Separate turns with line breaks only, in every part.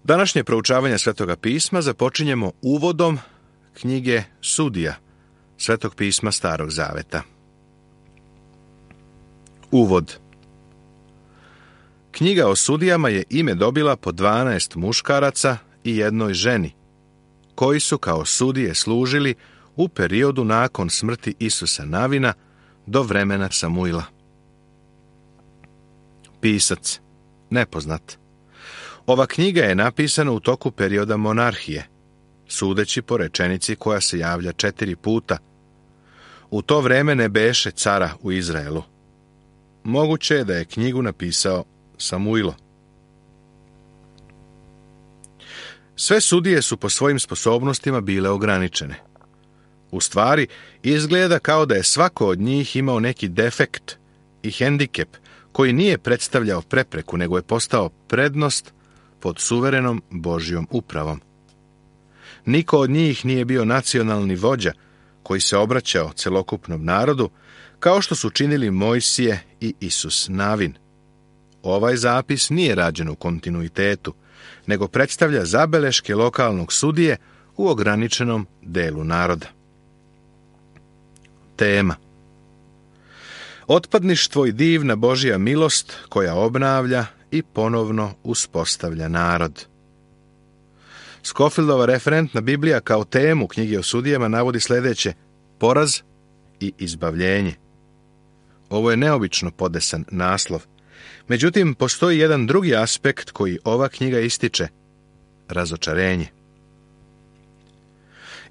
Današnje proučavanje Svetoga pisma započinjemo uvodom knjige Sudija, Svetog pisma Starog zaveta. Uvod. Knjiga o sudijama je ime dobila po 12 muškaraca i jednoj ženi, koji su kao sudije služili u periodu nakon smrti Isusa Navina do vremena Samuila. Pisac nepoznat. Ova knjiga je napisana u toku perioda monarhije, sudeći po rečenici koja se javlja 4 puta. U to vreme ne beše cara u Izraelu. Moguće je da je knjigu napisao Samuilo. Sve sudije su po svojim sposobnostima bile ograničene. U stvari, izgleda kao da je svako od njih imao neki defekt i hendikep koji nije predstavljao prepreku, nego je postao prednost pod suverenom Božjom upravom. Niko od njih nije bio nacionalni vođa koji se obraćao celokupnom narodu, kao što su činili Mojsije i Isus Navin. Ovaj zapis nije rađen u kontinuitetu, nego predstavlja zabeleške lokalnog sudije u ograničenom delu naroda. Tema. Otpadništvo i divna Božja milost koja obnavlja i ponovno uspostavlja narod. Scofieldova referentna Biblija kao temu knjige o sudijama navodi sljedeće: poraz i izbavljenje. Ovo je neobično podesan naslov. Međutim, postoji jedan drugi aspekt koji ova knjiga ističe: razočarenje.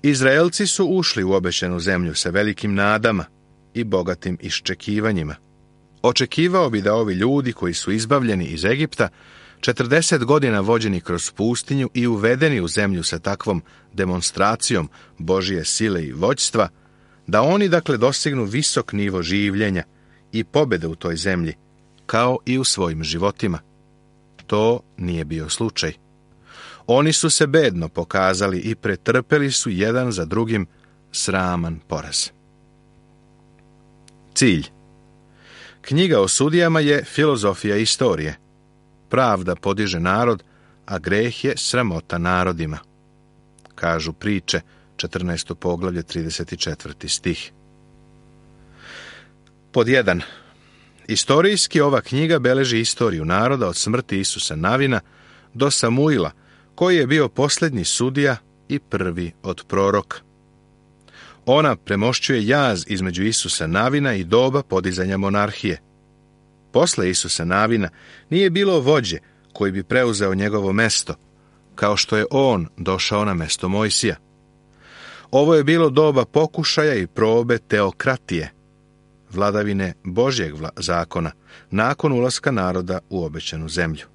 Izraelci su ušli u obećanu zemlju sa velikim nadama i bogatim iščekivanjima. Očekivao bi da ovi ljudi koji su izbavljeni iz Egipta, 40 godina vođeni kroz pustinju i uvedeni u zemlju sa takvom demonstracijom Božje sile i vođstva, da oni dostignu visok nivo življenja i pobjede u toj zemlji, kao i u svojim životima. To nije bio slučaj. Oni su se bedno pokazali i pretrpeli su jedan za drugim sraman poraz. Cilj. Knjiga o sudijama je filozofija istorije. Pravda podiže narod, a greh je sramota narodima. Kažu priče, 14. poglavlje, 34. stih. Pod 1. Istorijski ova knjiga beleži istoriju naroda od smrti Isusa Navina do Samuila, koji je bio posljednji sudija i prvi od proroka. Ona premošćuje jaz između Isusa Navina i doba podizanja monarhije. Posle Isusa Navina nije bilo vođe koji bi preuzeo njegovo mesto, kao što je on došao na mesto Mojsija. Ovo je bilo doba pokušaja i probe teokratije, vladavine Božjeg zakona, nakon ulaska naroda u obećanu zemlju.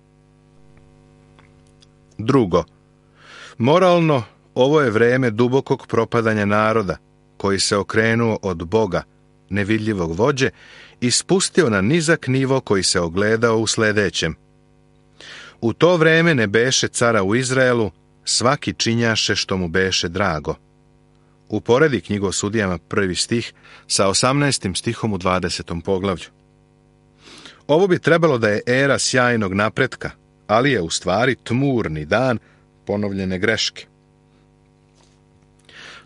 Drugo, moralno, ovo je vreme dubokog propadanja naroda, koji se okrenuo od Boga, nevidljivog vođe, i spustio na nizak nivo koji se ogledao u sljedećem. U to vreme ne beše cara u Izraelu, svaki činjaše što mu beše drago. Uporedi knjigu o sudijama 1. stih sa 18. stihom u 20. poglavlju. Ovo bi trebalo da je era sjajnog napretka, ali je u stvari tmurni dan ponovljene greške.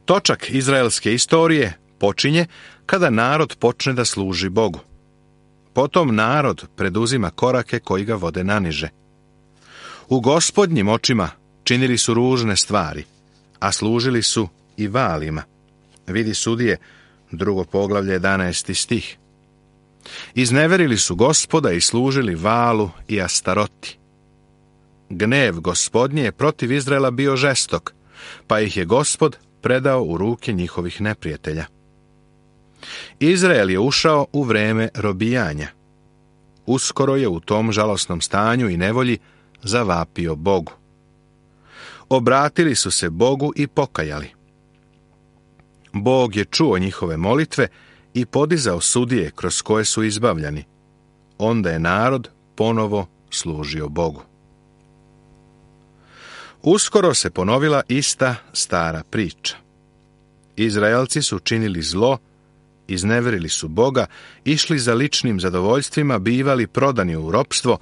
Točak izraelske istorije počinje kada narod počne da služi Bogu. Potom narod preduzima korake koji ga vode naniže. U Gospodnjim očima činili su ružne stvari, a služili su i Valima. Vidi Sudije, 2. poglavlje, 11. stih. Izneverili su Gospoda i služili Valu i Astaroti. Gnev Gospodnje je protiv Izraela bio žestok, pa ih je Gospod predao u ruke njihovih neprijatelja. Izrael je ušao u vreme robijanja. Uskoro je u tom žalosnom stanju i nevolji zavapio Bogu. Obratili su se Bogu i pokajali. Bog je čuo njihove molitve i podizao sudije kroz koje su izbavljani. Onda je narod ponovo služio Bogu. Uskoro se ponovila ista stara priča. Izraelci su činili zlo, izneverili su Boga, išli za ličnim zadovoljstvima, bivali prodani u ropstvo,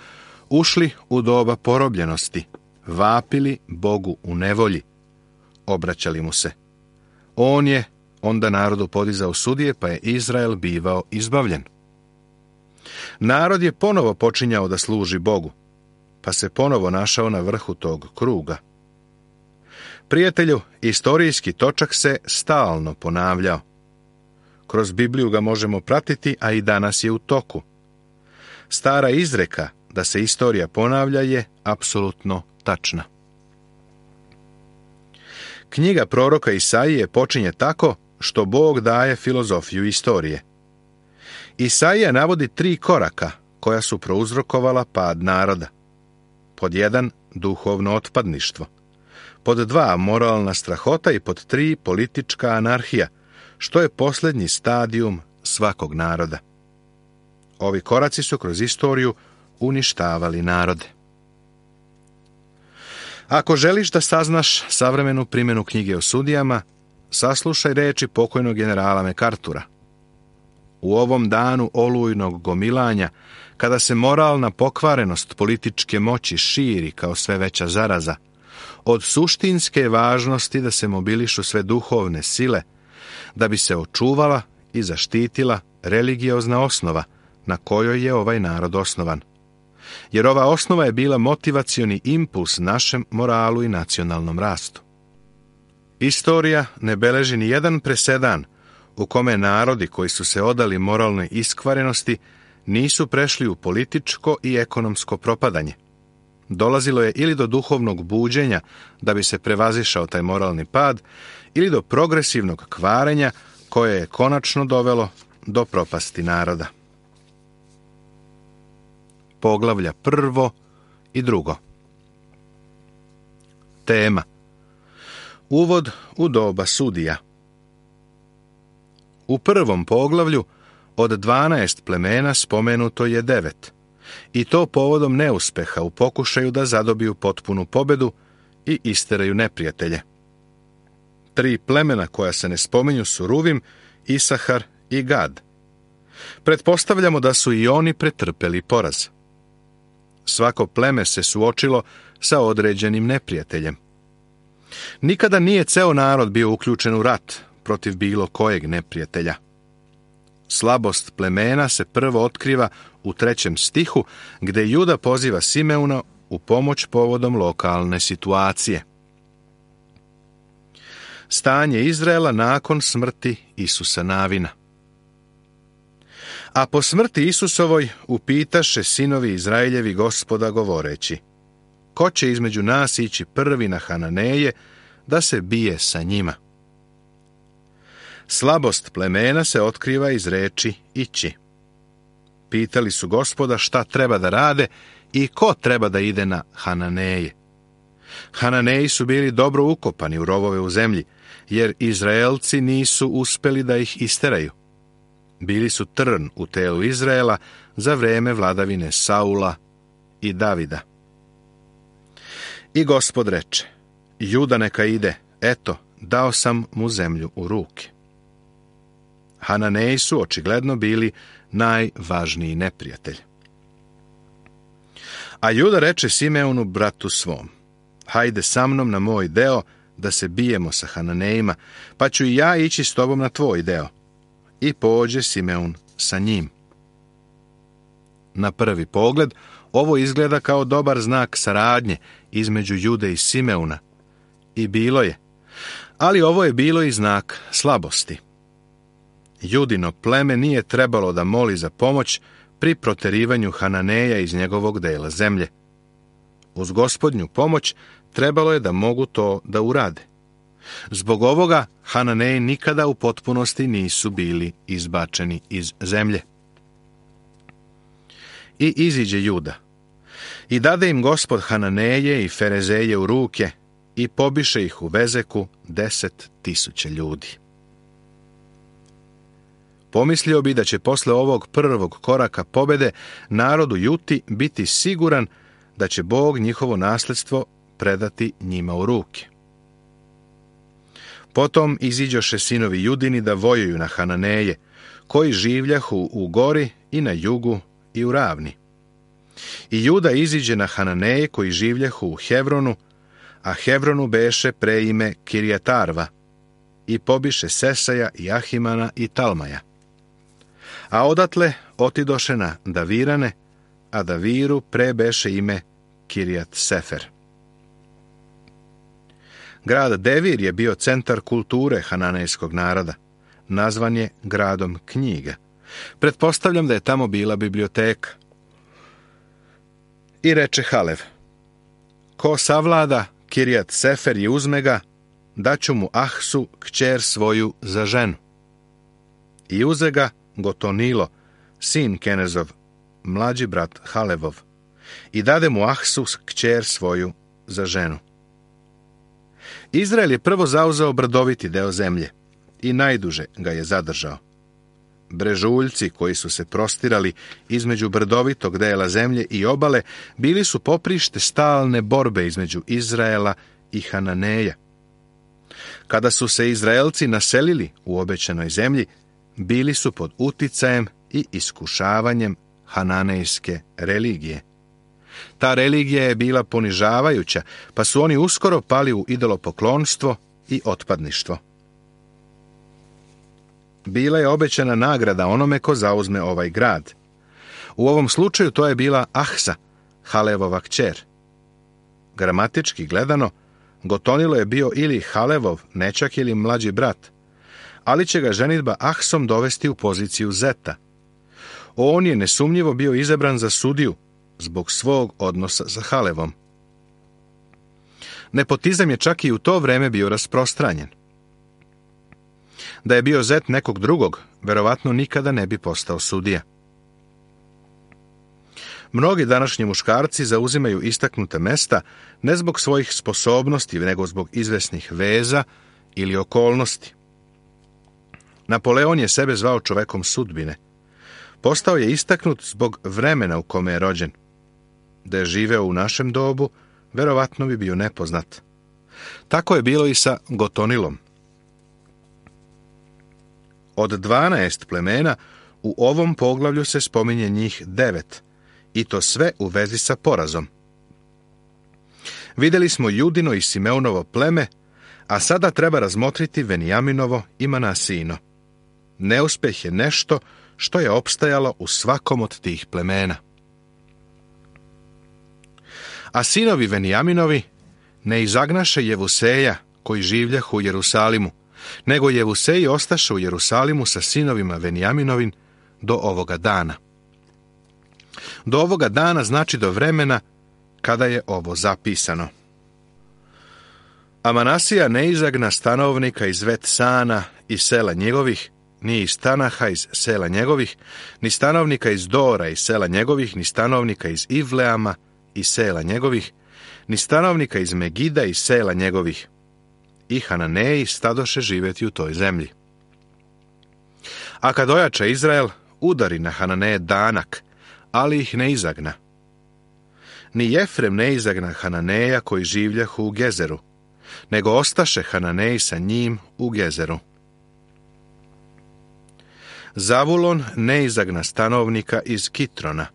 ušli u doba porobljenosti, vapili Bogu u nevolji, obraćali mu se. On je onda narodu podizao sudije, pa je Izrael bivao izbavljen. Narod je ponovo počinjao da služi Bogu, pa se ponovo našao na vrhu tog kruga. Prijatelju, istorijski točak se stalno ponavljao. Kroz Bibliju ga možemo pratiti, a i danas je u toku. Stara izreka da se istorija ponavlja je apsolutno tačna. Knjiga proroka Isaije počinje tako što Bog daje filozofiju istorije. Isaija navodi 3 koraka koja su prouzrokovala pad naroda. Pod 1. duhovno otpadništvo. Pod 2. moralna strahota i pod 3. politička anarhija, što je posljednji stadijum svakog naroda. Ovi koraci su kroz istoriju uništavali narode. Ako želiš da saznaš savremenu primjenu knjige o sudijama, saslušaj reči pokojnog generala MacArthura. U ovom danu olujnog gomilanja, kada se moralna pokvarenost političke moći širi kao sve veća zaraza, od suštinske važnosti da se mobilišu sve duhovne sile, da bi se očuvala i zaštitila religiozna osnova na kojoj je ovaj narod osnovan. Jer ova osnova je bila motivacioni impuls našem moralu i nacionalnom rastu. Istorija ne beleži ni jedan presedan u kome narodi koji su se odali moralnoj iskvarenosti nisu prešli u političko i ekonomsko propadanje. Dolazilo je ili do duhovnog buđenja da bi se prevazišao taj moralni pad, ili do progresivnog kvarenja koje je konačno dovelo do propasti naroda. Poglavlja 1. i 2. Tema: Uvod u doba sudija. U prvom poglavlju od 12 plemena spomenuto je 9, i to povodom neuspeha u pokušaju da zadobiju potpunu pobedu i isteraju neprijatelje. 3 plemena koja se ne spominju su Ruvim, Isahar i Gad. Pretpostavljamo da su i oni pretrpeli poraz. Svako pleme se suočilo sa određenim neprijateljem. Nikada nije ceo narod bio uključen u rat protiv bilo kojeg neprijatelja. Slabost plemena se prvo otkriva u 3. stihu, gde Juda poziva Simeuna u pomoć povodom lokalne situacije. Stanje Izraela nakon smrti Isusa Navina. A po smrti Isusovoj upitaše sinovi Izraeljevi Gospoda govoreći: ko će između nas ići prvi na Hananeje da se bije sa njima? Slabost plemena se otkriva iz reči ići. Pitali su Gospoda šta treba da rade i ko treba da ide na Hananeje. Hananeji su bili dobro ukopani u rovove u zemlji, jer Izraelci nisu uspeli da ih isteraju. Bili su trn u telu Izraela za vreme vladavine Saula i Davida. I Gospod reče: Juda neka ide, eto, dao sam mu zemlju u ruke. Hananeji su očigledno bili najvažniji neprijatelj. A Juda reče Simeonu, bratu svom: hajde sa mnom na moj deo da se bijemo sa Hananejima, pa ću i ja ići s tobom na tvoj deo. I pođe Simeun sa njim. Na prvi pogled, ovo izgleda kao dobar znak saradnje između Jude i Simeuna. I bilo je. Ali ovo je bilo i znak slabosti. Judino pleme nije trebalo da moli za pomoć pri proterivanju Hananeja iz njegovog dela zemlje. Uz Gospodnju pomoć trebalo je da mogu to da urade. Zbog ovoga Hananeji nikada u potpunosti nisu bili izbačeni iz zemlje. I iziđe Juda. I dade im Gospod Hananeje i Ferezeje u ruke i pobiše ih u Bezeku 10.000 ljudi. Pomislio bi da će posle ovog prvog koraka pobede narodu Juti biti siguran da će Bog njihovo nasledstvo predati njima u ruke. Potom iziđoše sinovi Judini da vojuju na Hananeje, koji življahu u gori i na jugu i u ravni. I Juda iziđe na Hananeje koji življehu u Hevronu, a Hevronu beše preime Kirjatarva, i pobiše Sesaja i Ahimana i Talmaja. A odatle otidoše na Davirane, a Daviru prebeše ime Kirjat Sefer. Grad Devir je bio centar kulture hananejskog naroda. Nazvan je gradom knjiga. Pretpostavljam da je tamo bila biblioteka. I reče Halev: ko savlada Kirjat Sefer i uzme ga, daću mu Ahsu, kćer svoju, za ženu. I uze ga Gotonilo, sin Kenezov, mlađi brat Halevov, i dade mu Ahsu, kćer svoju, za ženu. Izrael je prvo zauzeo brdoviti deo zemlje i najduže ga je zadržao. Brežuljci koji su se prostirali između brdovitog dela zemlje i obale bili su poprište stalne borbe između Izraela i Hananeja. Kada su se Izraelci naselili u obećanoj zemlji, bili su pod uticajem i iskušavanjem hananejske religije. Ta religija je bila ponižavajuća, pa su oni uskoro pali u idolopoklonstvo i otpadništvo. Bila je obećana nagrada onome ko zauzme ovaj grad. U ovom slučaju to je bila Ahsa, Halevova kćer. Gramatički gledano, Gotonilo je bio ili Halevov nećak ili mlađi brat, ali će ga ženidba Ahsom dovesti u poziciju zeta. On je nesumnjivo bio izabran za sudiju zbog svog odnosa sa Halevom. Nepotizam je čak i u to vreme bio rasprostranjen. Da je bio zet nekog drugog, verovatno nikada ne bi postao sudija. Mnogi današnji muškarci zauzimaju istaknuta mesta ne zbog svojih sposobnosti, nego zbog izvesnih veza ili okolnosti. Napoleon je sebe zvao čovekom sudbine. Postao je istaknut zbog vremena u kome je rođen. Da je živeo u našem dobu, verovatno bi bio nepoznat. Tako je bilo i sa Gotonilom. Od 12 plemena u ovom poglavlju se spominje njih 9, i to sve u vezi sa porazom. Vidjeli smo Judino i Simeunovo pleme, a sada treba razmotriti Venijaminovo i Manasijino. Neuspjeh je nešto što je opstajalo u svakom od tih plemena. A sinovi Venijaminovi ne izagnaše Jevuseja, koji življahu u Jerusalimu, nego Jevuseji ostaše u Jerusalimu sa sinovima Venijaminovim do ovoga dana. Do ovoga dana znači do vremena kada je ovo zapisano. A Manasija ne izagna stanovnika iz Vetsana i sela njegovih, ni iz Tanaha iz sela njegovih, ni stanovnika iz Dora iz sela njegovih, ni stanovnika iz Ivleama iz sela njegovih, ni stanovnika iz Megida iz sela njegovih. I Hananeji stadoše živjeti u toj zemlji. A kad ojača Izrael, udari na Hananeje danak, ali ih ne izagna. Ni Jefrem ne izagna Hananeja koji življahu u Gezeru, nego ostaše Hananeji sa njim u Gezeru. Zavulon ne izagna stanovnika iz Kitrona,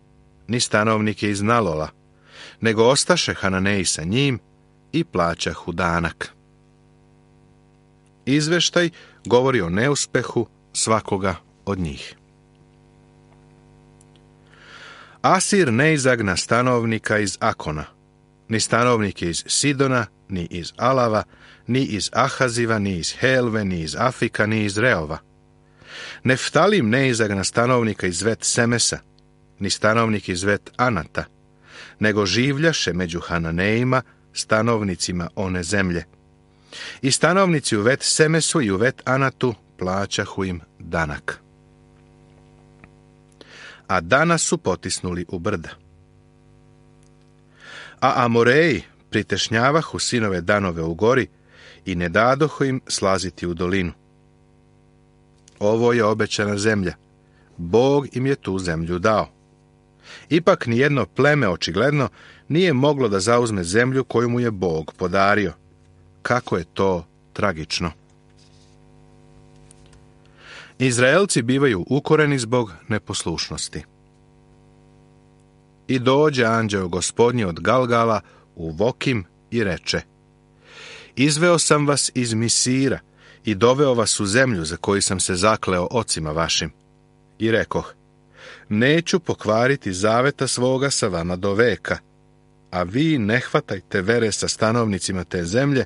ni stanovnike iz Nalola, nego ostaše Hananeji sa njim i plaćahu danak. Izveštaj govori o neuspehu svakoga od njih. Asir ne izagna stanovnika iz Akona, ni stanovnike iz Sidona, ni iz Alava, ni iz Ahaziva, ni iz Helve, ni iz Afika, ni iz Reova. Neftalim ne izagna stanovnika iz Vet Semesa, ni stanovnik iz Vet Anata, nego življaše među Hananejima, stanovnicima one zemlje. I stanovnici u Vet Semesu i u Vet Anatu plaćahu im danak. A danas su potisnuli u brda. A Amoreji pritešnjavahu sinove Danove u gori i ne dadohu im slaziti u dolinu. Ovo je obećana zemlja. Bog im je tu zemlju dao. Ipak nijedno pleme očigledno nije moglo da zauzme zemlju koju mu je Bog podario. Kako je to tragično. Izraelci bivaju ukoreni zbog neposlušnosti. I dođe anđeo Gospodnji od Galgala u Vokim i reče: Izveo sam vas iz Misira i doveo vas u zemlju za koju sam se zakleo ocima vašim. I rekoh: Neću pokvariti zaveta svoga sa vama do veka, a vi ne hvatajte vere sa stanovnicima te zemlje,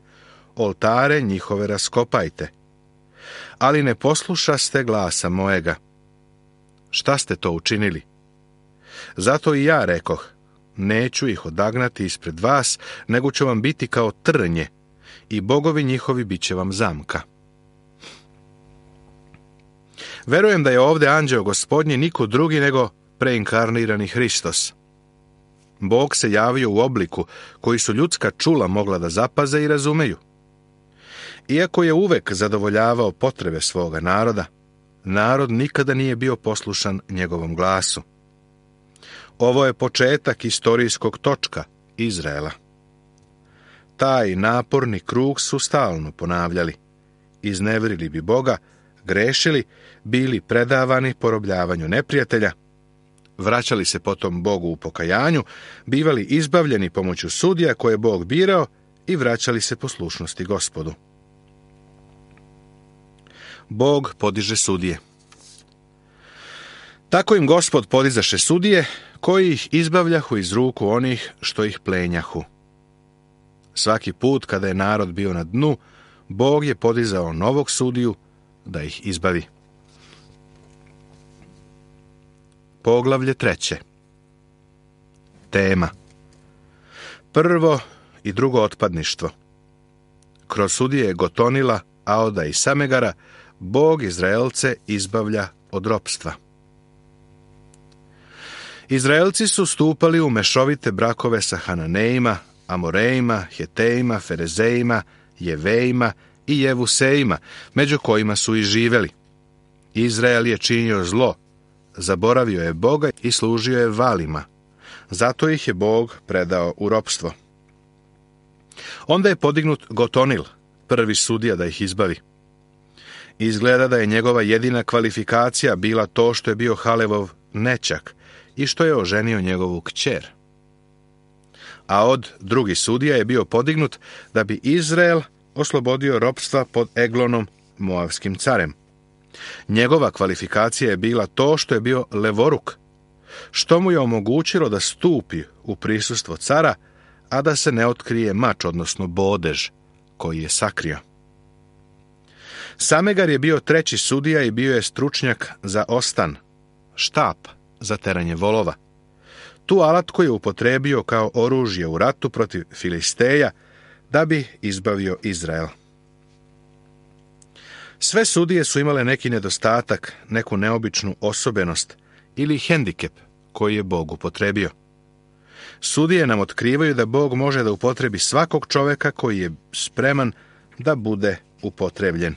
oltare njihove raskopajte. Ali ne poslušaste glasa mojega. Šta ste to učinili? Zato i ja rekoh: Neću ih odagnati ispred vas, nego ću vam biti kao trnje, i bogovi njihovi bit će vam zamka. Verujem da je ovdje anđeo Gospodnji niko drugi nego preinkarnirani Hristos. Bog se javio u obliku koji su ljudska čula mogla da zapaze i razumeju. Iako je uvek zadovoljavao potrebe svoga naroda, narod nikada nije bio poslušan njegovom glasu. Ovo je početak istorijskog točka Izraela. Taj naporni krug su stalno ponavljali. Izneverili bi Boga, grešili, bili predavani porobljavanju neprijatelja, vraćali se potom Bogu u pokajanju, bivali izbavljeni pomoću sudija koje je Bog birao i vraćali se poslušnosti Gospodu. Bog podiže sudije. Tako im Gospod podizaše sudije, koji ih izbavljahu iz ruku onih što ih plenjahu. Svaki put kada je narod bio na dnu, Bog je podizao novog sudiju da ih izbavi. Poglavlje 3. Tema: prvo i drugo otpadništvo. Kroz sudije Gotonila, Aoda i Samegara Bog Izraelce izbavlja od ropstva. Izraelci su stupali u mešovite brakove sa Hananejima, Amorejima, Hetejima, Ferezejima, Jevejima i Jevusejima, među kojima su i živeli. Izrael je činio zlo, zaboravio je Boga i služio je Valima. Zato ih je Bog predao u ropstvo. Onda je podignut Gotonil, prvi sudija, da ih izbavi. Izgleda da je njegova jedina kvalifikacija bila to što je bio Halevov nećak i što je oženio njegovu kćer. A od drugi sudija je bio podignut da bi Izrael oslobodio ropstva pod Eglonom, moavskim carem. Njegova kvalifikacija je bila to što je bio levoruk, što mu je omogućilo da stupi u prisustvo cara, a da se ne otkrije mač, odnosno bodež, koji je sakrio. Samegar je bio treći sudija i bio je stručnjak za ostan, štap za teranje volova. Tu alatku je upotrebio kao oružje u ratu protiv Filisteja da bi izbavio Izrael. Sve sudije su imale neki nedostatak, neku neobičnu osobenost ili hendikep koji je Bog upotrebio. Sudije nam otkrivaju da Bog može da upotrebi svakog čoveka koji je spreman da bude upotrebljen.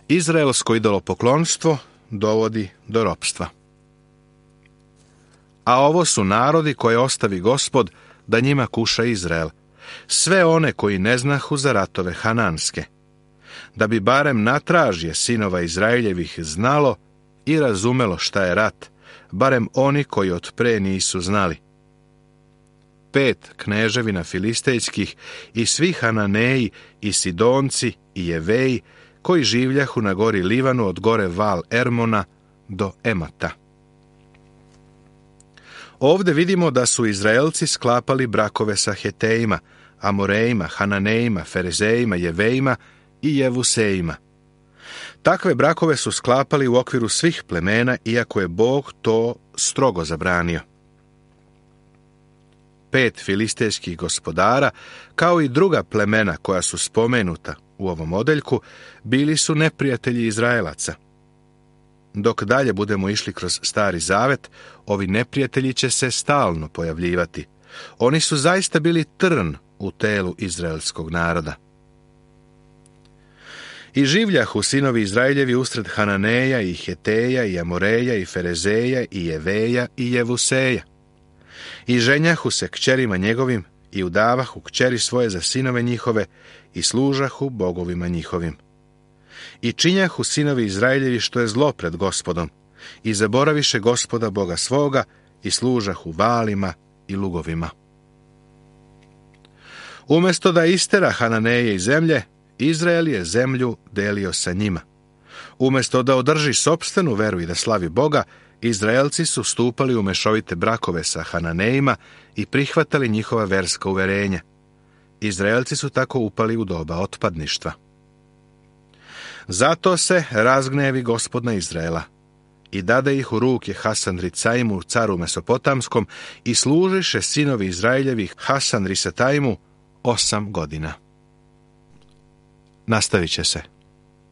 Izraelsko idolopoklonstvo dovodi do ropstva. A ovo su narodi koje ostavi Gospod da njima kuša Izrael, sve one koji ne znahu za ratove hananske, da bi barem natražje sinova Izraeljevih znalo i razumelo šta je rat, barem oni koji od pre nisu znali. 5 kneževina filistejskih i svi Hananeji i Sidonci i Jeveji koji življahu na gori Livanu od gore Val Ermona do Emata. Ovdje vidimo da su Izraelci sklapali brakove sa Hetejima, Amorejima, Hananejima, Ferezejima, Jevejima i Jevusejima. Takve brakove su sklapali u okviru svih plemena, iako je Bog to strogo zabranio. 5 filistejskih gospodara, kao i druga plemena koja su spomenuta u ovom odeljku, bili su neprijatelji Izraelaca. Dok dalje budemo išli kroz Stari Zavet, ovi neprijatelji će se stalno pojavljivati. Oni su zaista bili trn u telu izraelskog naroda. I življahu sinovi Izraeljevi usred Hananeja i Heteja i Amoreja i Ferezeja i Jeveja i Jevuseja. I ženjahu se kćerima njegovim i udavahu kćeri svoje za sinove njihove i služahu bogovima njihovim. I činjahu sinovi Izraeljevi što je zlo pred Gospodom, i zaboraviše Gospoda Boga svoga i služahu valima i lugovima. Umjesto da istera Hananeje iz zemlje, Izrael je zemlju delio sa njima. Umjesto da održi sopstvenu veru i da slavi Boga, Izraelci su stupali u mešovite brakove sa Hananejima i prihvatali njihova verska uverenja. Izraelci su tako upali u doba otpadništva. Zato se razgnevi Gospod na Izraela i dade ih u ruke Hasan-Ricaimu, caru Mesopotamskom, i služiše sinovi Izraeljevi Hasan-Risataimu 8 godina. Nastavit će se.